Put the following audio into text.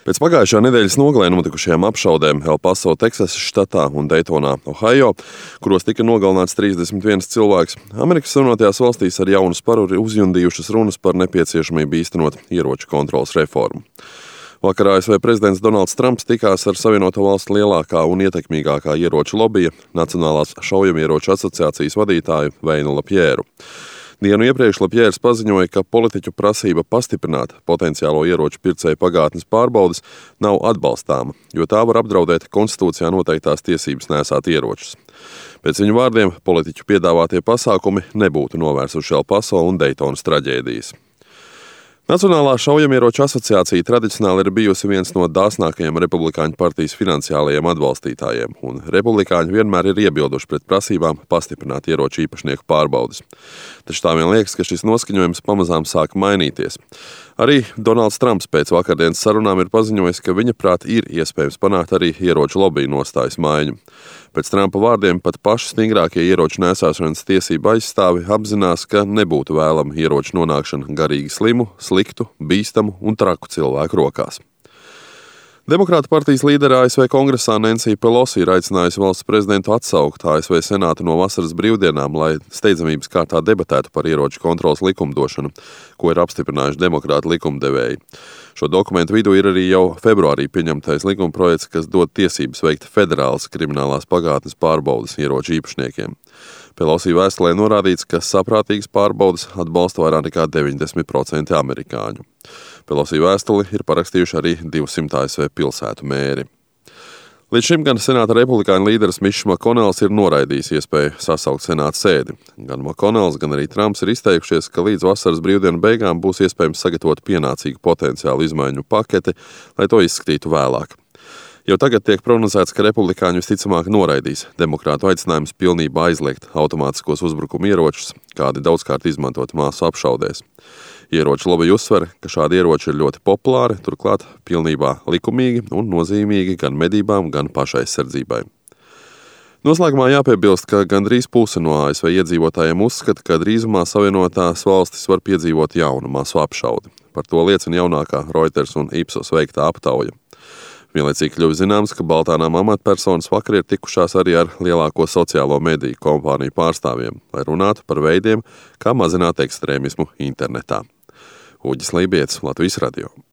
Pēc pagājušā nedēļas nogalē notikušajām apšaudēm El Paso, Teksasas štatā un Daytonā, Ohio, kuros tika nogalināts 31 cilvēks, Amerikas Savienotajās valstīs ar jaunu sparu ir uzjundījušas runas par nepieciešamību īstenot ieroču kontroles reformu. Vakar ASV prezidents Donalds Trumps tikās ar Savienoto Valstu lielākā un ietekmīgākā ieroču lobija, Nacionālās šaujamieroču asociācijas vadītāju Veinu Lapjēru. Dienu iepriekš Lapjērs paziņoja, ka politiķu prasība pastiprināt potenciālo ieroču pircēju pagātnes pārbaudes nav atbalstāma, jo tā var apdraudēt konstitūcijā noteiktās tiesības nēsāt ieročus. Pēc viņu vārdiem politiķu piedāvātie pasākumi nebūtu novērsuši El Paso un Daytonas traģēdijas. Nacionālā šaujamieroču asociācija tradicionāli ir bijusi viens no dāsnākajiem republikāņu partijas finansiālajiem atbalstītājiem, un republikāņi vienmēr ir iebilduši pret prasībām pastiprināt ieroču īpašnieku pārbaudes. Taču tā vien liekas, ka šis noskaņojums pamazām sāk mainīties. Arī Donalds Trumps pēc vakardienas sarunām ir paziņojis, ka viņa prāt ir iespējams panākt arī ieroču lobiju nostājas maiņu. Pēc Trumpa vārdiem pat paši stingrākie ieroču nēsāšanas tiesību aizstāvi apzinās, ka nebūtu vēlama ieroču nonākšana garīgi slimu, sliktu, bīstamu un traku cilvēku rokās. Demokrātu partijas līdere ASV Kongresā Nancy Pelosi ir aicinājusi valsts prezidentu atsaukt ASV Senātu no vasaras brīvdienām, lai steidzamības kārtā debatētu par ieroču kontroles likumdošanu, ko ir apstiprinājuši demokrātu likumdevēji. Šo dokumentu vidū ir arī jau februārī pieņemtais likumprojekts, kas dod tiesības veikt federālas kriminālās pagātnes pārbaudes ieroču īpašniekiem. Pelosi vēstulē norādīts, ka saprātīgas pārbaudes atbalsta vairāk nekā 90% amerikāņu. Pelosi vēstuli ir parakstījuši arī 200 ASV pilsētu mēri. Līdz šim gan senāta republikāņu līderis Mičs Makonels ir noraidījis iespēju sasaukt senāta sēdi. Gan Makonels, gan arī Trumps ir izteikušies, ka līdz vasaras brīvdienu beigām būs iespējams sagatavot pienācīgu potenciālu izmaiņu paketi, lai to izskatītu vēlāk. Jau tagad tiek prognozēts, ka republikāņi visticamāk noraidīs demokrātu aicinājumus pilnībā aizliegt automātiskos uzbrukuma ieročus, kādi daudzkārt izmantot māsu apšaudēs. Ieroču lobija uzsver, ka šādi ieroči ir ļoti populāri, turklāt pilnībā likumīgi un nozīmīgi gan medībām, gan pašaizsardzībai. Noslēgumā jāpiebilst, ka gandrīz puse no ASV iedzīvotājiem uzskata, ka drīzumā Savienotās valstis var piedzīvot jaunu masu apšaudi. Par to liecina jaunākā Reuters un Ipsos veiktā aptauja. Vienlaicīgi kļuvis zināms, ka Baltānām amatpersonas vakar ir tikušās arī ar lielāko sociālo mediju kompāniju pārstāvjiem, lai runātu par veidiem, kā mazināt ekstrēmismu internetā. Uģis Lībietis, Latvijas radio.